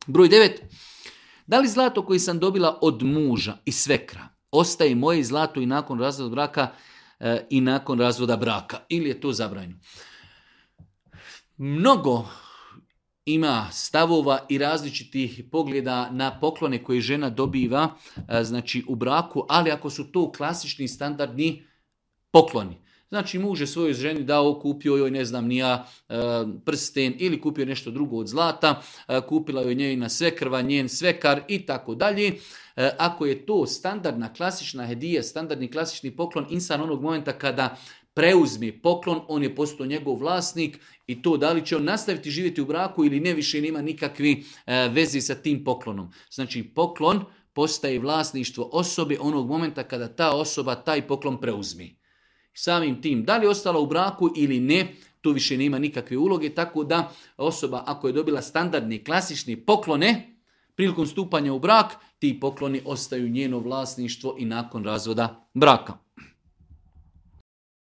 Broj 9. Da li zlato koje sam dobila od muža i svekra ostaje moje zlato i nakon razvoda braka i nakon razvoda braka? Ili je to zabranjeno? Mnogo ima stavova i različitih pogleda na poklone koje žena dobiva znači u braku, ali ako su to klasični standardni pokloni. Znači muž je svojoj ženi dao, kupio joj ne znam nija prsten ili kupio nešto drugo od zlata, kupila joj njena svekrva, njen svekar i tako dalje. Ako je to standardna klasična hedija, standardni klasični poklon, insan onog momenta kada preuzme poklon, on je postao njegov vlasnik i to da li će on nastaviti živjeti u braku ili ne, više nema nikakvi vezi sa tim poklonom. Znači poklon postaje vlasništvo osobe onog momenta kada ta osoba taj poklon preuzme. Samim tim, da li je ostala u braku ili ne, tu više nema nikakve uloge, tako da osoba ako je dobila standardne klasične poklone, prilikom stupanja u brak, ti pokloni ostaju njeno vlasništvo i nakon razvoda braka.